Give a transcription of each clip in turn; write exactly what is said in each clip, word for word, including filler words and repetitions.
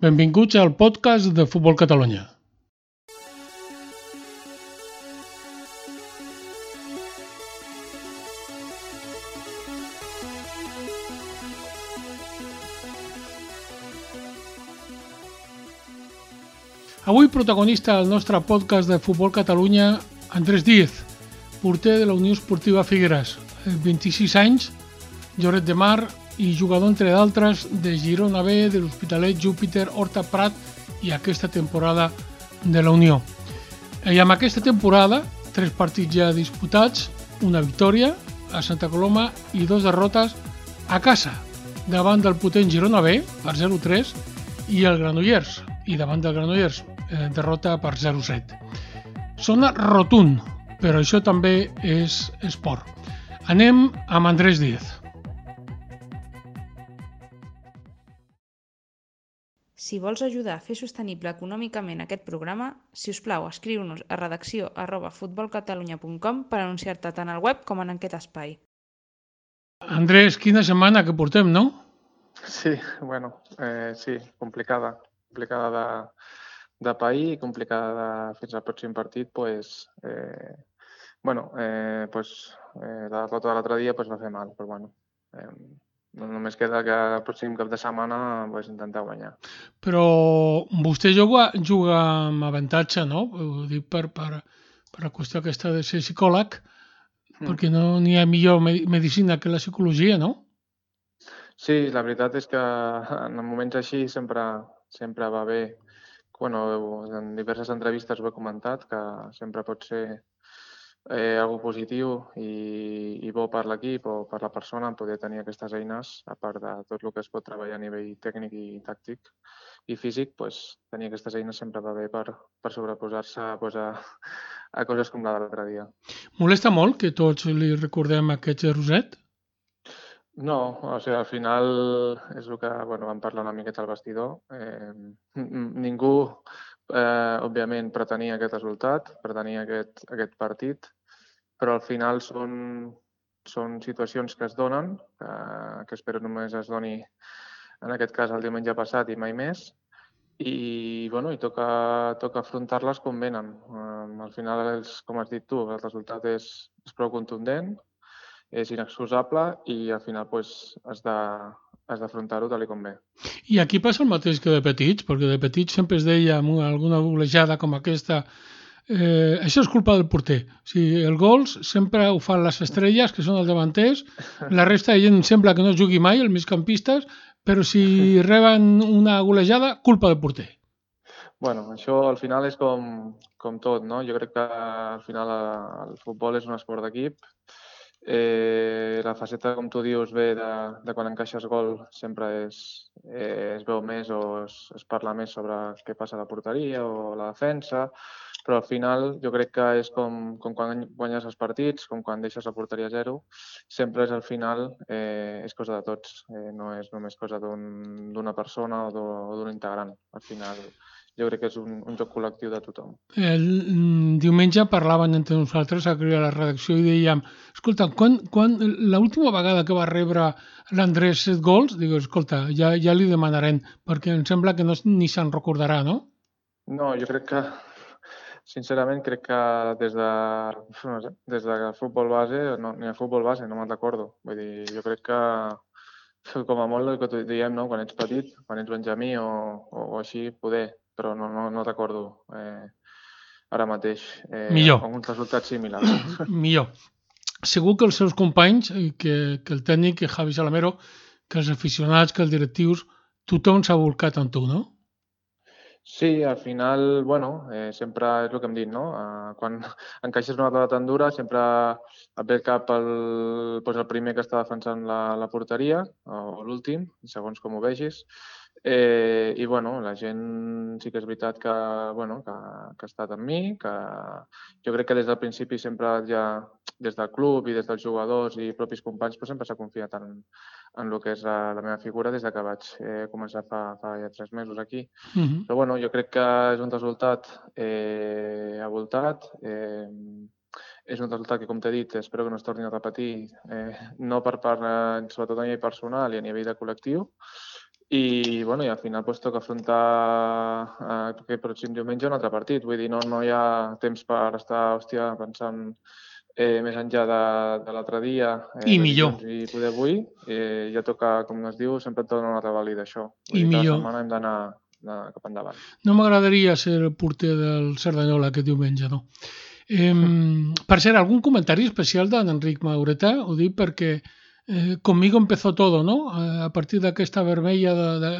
Benvinguts al podcast de Futbol Catalunya. Avui protagonista del nostre podcast de Futbol Catalunya, Andrés Díez, porter de la Unió Esportiva Figueres, vint-i-sis anys, Lloret de Mar i jugador, entre d'altres, de Girona B, de l'Hospitalet, Júpiter, Horta Prat i aquesta temporada de la Unió. I amb aquesta temporada, tres partits ja disputats, una victòria a Santa Coloma i dos derrotes a casa, davant del potent Girona B per zero tres i el Granollers, i davant del Granollers, eh, derrota per zero set. Sona rotund, però això també és esport. Anem amb Andrés Díez. Si vols ajudar a fer sostenible econòmicament aquest programa, si us plau, escriu-nos a redacció arroba futbolcatalunya punt com per anunciar-te tant al web com en aquest espai. Andrés, quina setmana que portem, no? Sí, bueno, eh, sí, complicada. Complicada de, de pair i complicada de, fins al pròxim partit, pues, eh, bueno, eh, pues, eh, la derrota de l'altre dia pues, va fer mal, però bueno, eh, només queda que el pròxim cap de setmana pues, intentar guanyar. Però vostè juga, juga amb avantatge, no? Ho dic per, per, per la qüestió aquesta de ser psicòleg, mm. perquè no n'hi ha millor medicina que la psicologia, no? Sí, la veritat és que en moments així sempre, sempre va bé. Bueno, en diverses entrevistes ho he comentat, que sempre pot ser eh, algo positiu i, i bo per l'equip o per la persona poder tenir aquestes eines, a part de tot el que es pot treballar a nivell tècnic i tàctic i físic, pues, tenir aquestes eines sempre va bé per, per sobreposar-se pues, a, a coses com la de l'altre dia. Molesta molt que tots li recordem aquest zero set? No, o sigui, al final és el que bueno, vam parlar una miqueta al vestidor. Eh, ningú, eh, òbviament, pretenia aquest resultat, pretenia aquest, aquest partit, però al final són, són situacions que es donen, que, que espero només es doni, en aquest cas, el diumenge passat i mai més, i, bueno, i toca, toca afrontar-les com venen. Eh, al final, és, com has dit tu, el resultat és, és prou contundent, és inexcusable i al final pues, has de, has d'afrontar-ho tal com ve. I aquí passa el mateix que de petits, perquè de petits sempre es deia amb alguna golejada com aquesta eh, això és culpa del porter. O sigui, el gols sempre ho fan les estrelles, que són els davanters, la resta de gent sembla que no jugui mai, els migcampistes, però si reben una golejada, culpa del porter. Bueno, això al final és com, com tot, no? Jo crec que al final el futbol és un esport d'equip. Eh, la faceta, com tu dius, ve de, de quan encaixes gol sempre és, eh, es veu més o es, es parla més sobre què passa a la porteria o la defensa, però al final jo crec que és com, com quan guanyes els partits, com quan deixes la porteria a zero, sempre és al final, eh, és cosa de tots, eh, no és només cosa d'un, d'una persona o d'un integrant. Al final jo crec que és un, un joc col·lectiu de tothom. El diumenge parlaven entre nosaltres a la redacció i dèiem, escolta, quan, quan l'última vegada que va rebre l'Andrés set gols, dic, escolta, ja, ja li demanarem, perquè em sembla que no, ni se'n recordarà, no? No, jo crec que, sincerament, crec que des de, no sé, des de futbol base, no, ni a futbol base, no me'n recordo. Vull dir, jo crec que, com a molt el que diem, no? Quan ets petit, quan ets benjamí o, o, o així, poder, però no, no, no recordo eh, ara mateix eh, Millor. un resultat similar. Millor. Segur que els seus companys, que, que el tècnic, que Javi Salamero, que els aficionats, que els directius, tothom s'ha volcat en tu, no? Sí, al final, bueno, eh, sempre és el que hem dit, no? Eh, quan encaixes una dada tan dura, sempre et ve al cap el, doncs el primer que està defensant la, la porteria, o l'últim, segons com ho vegis. Eh, I, bueno, la gent sí que és veritat que, bueno, que, que ha estat amb mi, que jo crec que des del principi sempre ja, des del club i des dels jugadors i propis companys, però sempre s'ha confiat en, en el que és la, la meva figura des de que vaig eh, començar fa, fa ja tres mesos aquí. Uh-huh. Però, bueno, jo crec que és un resultat eh, avoltat, eh, és un resultat que, com t'he dit, espero que no es torni a repetir, eh, no per part, eh, sobretot a nivell personal i a nivell de col·lectiu, i, bueno, i al final pues, toca afrontar eh, aquest pròxim diumenge un altre partit. Vull dir, no, no hi ha temps per estar, hòstia, pensant eh, més enllà de, de l'altre dia, eh, I de millor. dilluns i poder avui. Eh, ja toca, com es diu, sempre et dona una revàlida, això. Vull I dir, cada millor. setmana hem d'anar anar cap endavant. No m'agradaria ser el porter del Cerdanyola aquest diumenge, no. Eh, per cert, algun comentari especial d'Enric Maureta? Ho dic perquè eh, conmigo empezó todo, no? A partir d'aquesta vermella de, de,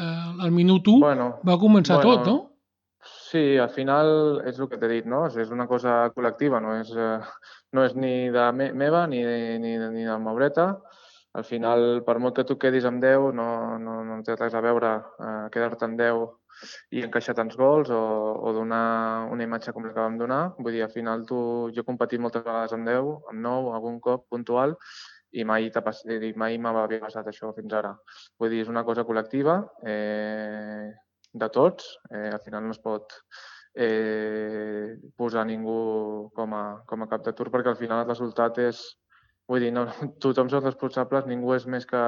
al minut u Bueno, va començar bueno, tot, no? Sí, al final és el que t'he dit, no? És una cosa col·lectiva, no és, eh, no és ni de me meva ni, ni, ni de Maureta. Al final, per molt que tu quedis amb deu, no, no, no té res a veure eh, quedar-te amb deu i encaixar tants gols o, o donar una imatge com la que vam donar. Vull dir, al final tu, jo he competit moltes vegades amb deu, amb nou, algun cop puntual, i mai, i mai m'havia passat això fins ara. Vull dir, és una cosa col·lectiva, eh, de tots. Eh, al final no es pot eh, posar ningú com a, com a cap de turc perquè al final el resultat és... Vull dir, no, tothom som responsables, ningú és més que,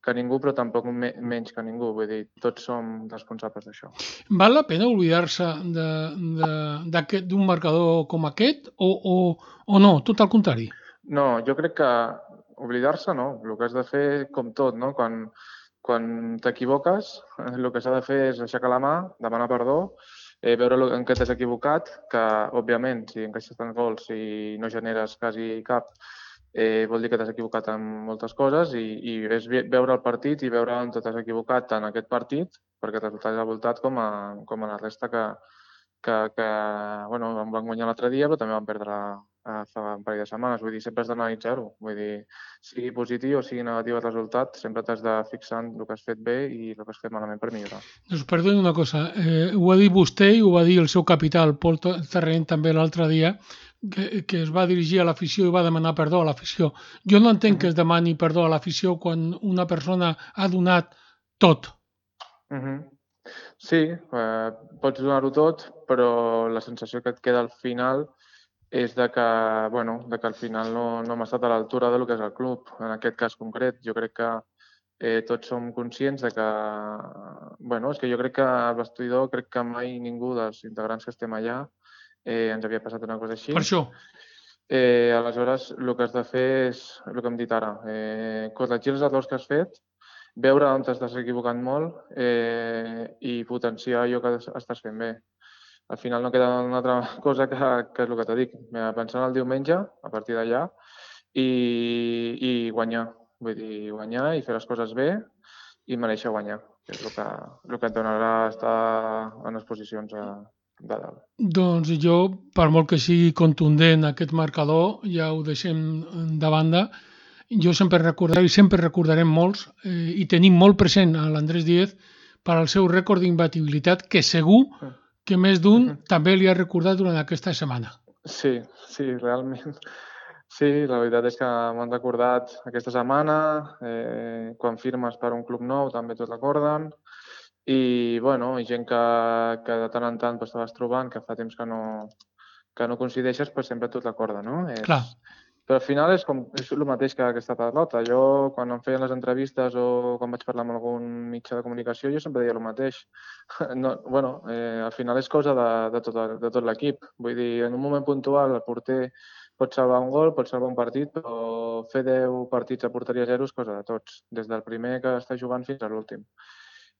que ningú, però tampoc me, menys que ningú. Vull dir, tots som responsables d'això. Val la pena oblidar-se d'un marcador com aquest o, o, o no? Tot al contrari. No, jo crec que oblidar-se no. El que has de fer, com tot, no? Quan, quan t'equivoques, el que s'ha de fer és aixecar la mà, demanar perdó, eh, veure en què t'has equivocat, que, òbviament, si encaixes tants gols i no generes quasi cap, eh, vol dir que t'has equivocat en moltes coses i, i és veure el partit i veure on t'has equivocat en aquest partit, perquè el resultat és voltat com a, com a la resta que, que, que bueno, van guanyar l'altre dia, però també van perdre eh, fa un parell de setmanes. Vull dir, sempre has d'analitzar-ho. Vull dir, sigui positiu o sigui negatiu el resultat, sempre t'has de fixar en el que has fet bé i el que has fet malament per millorar. Doncs perdoni una cosa, eh, ho ha dit vostè i ho va dir el seu capità, el Pol Terreny, també l'altre dia, que, que es va dirigir a l'afició i va demanar perdó a l'afició. Jo no entenc uh -huh. que es demani perdó a l'afició quan una persona ha donat tot. Uh -huh. Sí, eh, pots donar-ho tot, però la sensació que et queda al final és de que, bueno, de que al final no, no hem estat a l'altura del que és el club. En aquest cas concret, jo crec que eh, tots som conscients de que... Bueno, és que jo crec que al vestidor, crec que mai ningú dels integrants que estem allà eh, ens havia passat una cosa així. Per això. Eh, aleshores, el que has de fer és el que hem dit ara, eh, corregir els errors que has fet, veure on t'estàs equivocant molt eh, i potenciar allò que estàs fent bé. Al final no queda una altra cosa que, que és el que t'he dit, pensar en el diumenge, a partir d'allà, i, i guanyar. Vull dir, guanyar i fer les coses bé i mereixer guanyar, que és el que, el que et donarà estar en les posicions de, de dalt. Doncs jo, per molt que sigui contundent aquest marcador, ja ho deixem de banda. Jo sempre recordaré i sempre recordarem molts eh, i tenim molt present a l'Andrés Díez per al seu rècord d'imbatibilitat que segur que més d'un uh -huh. també li ha recordat durant aquesta setmana. Sí, sí, realment. Sí, la veritat és que m'han recordat aquesta setmana, eh, quan firmes per un club nou també t'ho recorden i, bueno, gent que, que de tant en tant pues, te vas trobant, que fa temps que no, que no coincideixes, pues, sempre t'ho recorda, no? És... Clar. Però al final és, com, és el mateix que aquesta pelota. Jo, quan em feien les entrevistes o quan vaig parlar amb algun mitjà de comunicació, jo sempre deia el mateix. No, bueno, eh, al final és cosa de, de tot, de tot l'equip. Vull dir, en un moment puntual el porter pot salvar un gol, pot salvar un partit, però fer deu partits a porteria zero és cosa de tots, des del primer que està jugant fins a l'últim.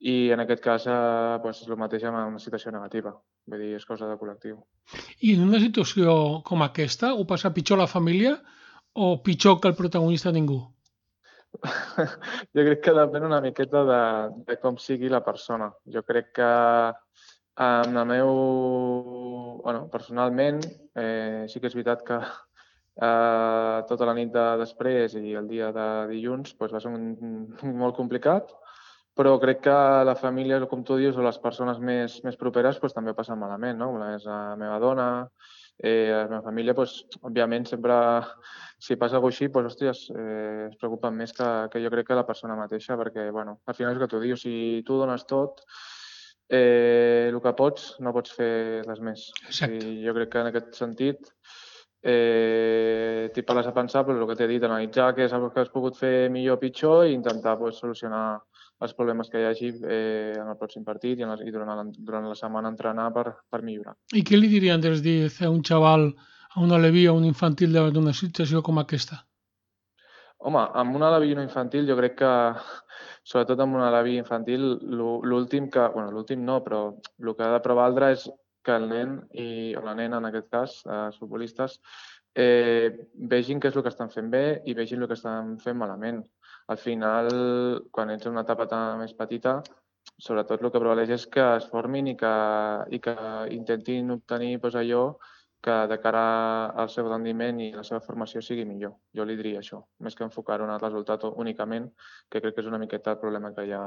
I en aquest cas eh, pues, és el mateix amb una situació negativa. Vull dir, és cosa de col·lectiu. I en una situació com aquesta, ho passa pitjor la família o pitjor que el protagonista ningú? Jo crec que depèn una miqueta de, de com sigui la persona. Jo crec que en el meu... Bueno, personalment, eh, sí que és veritat que eh, tota la nit de després i el dia de dilluns pues, va ser un, un, molt complicat, però crec que la família, com tu dius, o les persones més, més properes pues, també passen malament, no? Una és la meva dona, eh, la meva família, pues, òbviament, sempre, si passa alguna cosa així, pues, hòsties, eh, es preocupen més que, que jo crec que la persona mateixa, perquè, bueno, al final és el que tu dius, si tu dones tot, eh, el que pots, no pots fer res més. Exacte. I jo crec que en aquest sentit eh, t'hi parles a pensar, però el que t'he dit, analitzar què és el que has pogut fer millor o pitjor i intentar pues, solucionar els problemes que hi hagi eh, en el pròxim partit i, en la, i durant, la, durant la setmana entrenar per, per millorar. I què li diria Andrés Díez a un xaval, a un aleví, a un infantil d'una situació com aquesta? Home, amb un aleví i un infantil jo crec que, sobretot amb un aleví infantil, l'últim que, bueno, l'últim no, però el que ha de prevaldre és que el nen, i, o la nena en aquest cas, els futbolistes, eh, vegin què és el que estan fent bé i vegin el que estan fent malament. Al final, quan ets en una etapa tan més petita, sobretot el que prevaleix és que es formin i que, i que intentin obtenir doncs, allò que de cara al seu rendiment i la seva formació sigui millor. Jo li diria això, més que enfocar-ho en el resultat únicament, que crec que és una miqueta el problema que hi ha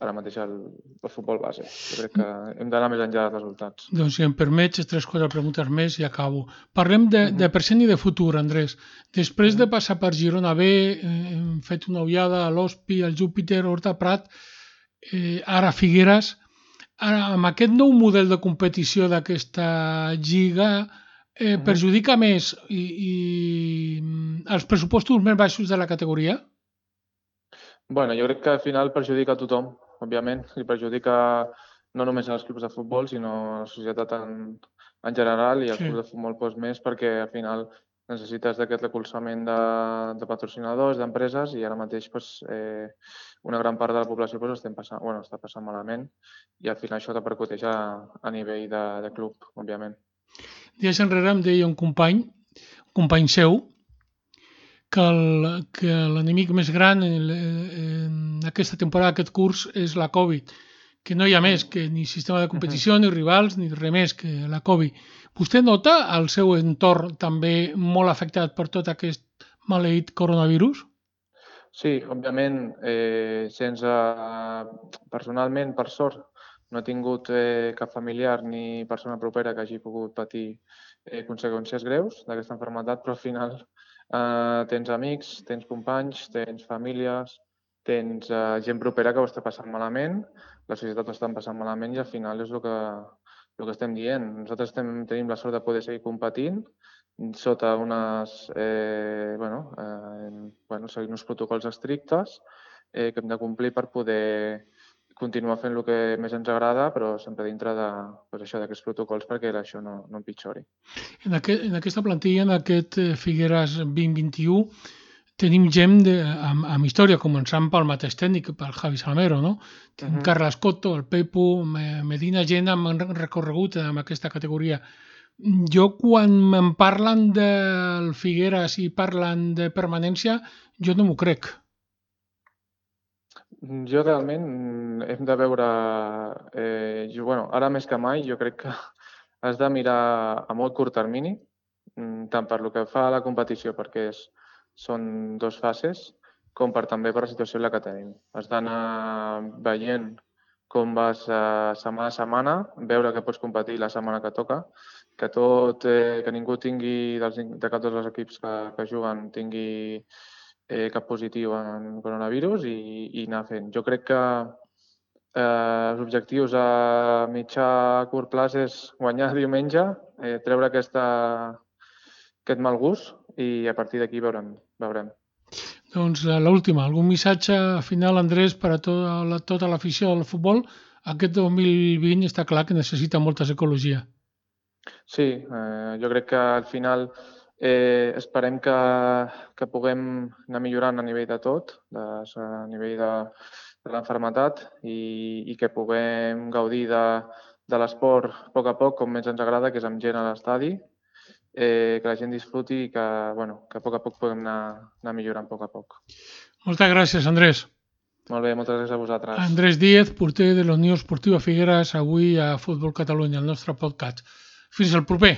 ara mateix al, al futbol base. Jo crec que hem d'anar més enllà dels resultats. Doncs si em permets, tres quatre preguntes més i acabo. Parlem de, uh-huh. de present i de futur, Andrés. Després uh-huh. de passar per Girona B, eh, hem fet una ullada a l'Hospi, al Júpiter, Horta Prat, eh, ara Figueres. Ara, amb aquest nou model de competició d'aquesta lliga, eh, uh-huh. perjudica més i, i els pressupostos més baixos de la categoria? Bueno, jo crec que al final perjudica a tothom, òbviament, i perjudica no només als clubs de futbol, sinó a la societat en, en general i als sí. clubs de futbol doncs, més, perquè al final necessites d'aquest recolzament de, de patrocinadors, d'empreses, i ara mateix doncs, eh, una gran part de la població doncs, estem passant, bueno, està passant malament, i al final això repercuteix a, a nivell de, de club, òbviament. Dies enrere em deia un company, un company seu, que l'enemic més gran en, en aquesta temporada, aquest curs, és la Covid, que no hi ha més que ni sistema de competició, ni rivals, ni res més que la Covid. Vostè nota el seu entorn també molt afectat per tot aquest maleït coronavirus? Sí, òbviament, eh, sense, personalment, per sort, no he tingut eh, cap familiar ni persona propera que hagi pogut patir eh, conseqüències greus d'aquesta malaltia, però al final Uh, tens amics, tens companys, tens famílies, tens uh, gent propera que ho està passant malament, la societat ho està passant malament i al final és el que, el que estem dient. Nosaltres estem, tenim la sort de poder seguir competint sota unes, eh, bueno, eh, bueno, seguint uns protocols estrictes eh, que hem de complir per poder continuar fent el que més ens agrada, però sempre dintre de, pues això, d'aquests protocols perquè això no, no empitjori. En, aquest, en aquesta plantilla, en aquest Figueres vint vint-i-u, tenim gent de, amb, amb història, començant pel mateix tècnic, pel Javi Salmero, no? Tenim uh-huh. Carles Cotto, el Pepo, Medina, gent amb recorregut en aquesta categoria. Jo, quan em parlen del Figueres i parlen de permanència, jo no m'ho crec. Jo realment hem de veure, eh, jo, bueno, ara més que mai, jo crec que has de mirar a molt curt termini, tant per lo que fa a la competició, perquè és, són dues fases, com per també per la situació en la que tenim. Has d'anar veient com vas a setmana a setmana, veure que pots competir la setmana que toca, que tot, eh, que ningú tingui, dels, de cap dels equips que, que juguen, tingui eh, cap positiu en coronavirus i, i anar fent. Jo crec que eh, els objectius a mitjà a curt plaç és guanyar diumenge, eh, treure aquesta, aquest mal gust i a partir d'aquí veurem. veurem. Doncs l'última, algun missatge final, Andrés, per a tota, la, tota l'afició del futbol? Aquest dos mil vint està clar que necessita molta psicologia. Sí, eh, jo crec que al final eh, esperem que, que puguem anar millorant a nivell de tot, de, a nivell de, de l'enfermetat i, i que puguem gaudir de, de l'esport a poc a poc, com més ens agrada, que és amb gent a l'estadi, eh, que la gent disfruti i que, bueno, que a poc a poc puguem anar, anar millorant a poc a poc. Moltes gràcies, Andrés. Molt bé, moltes gràcies a vosaltres. Andrés Díez, porter de la Unió Esportiva Figueres, avui a Futbol Catalunya, el nostre podcast. Fins al proper.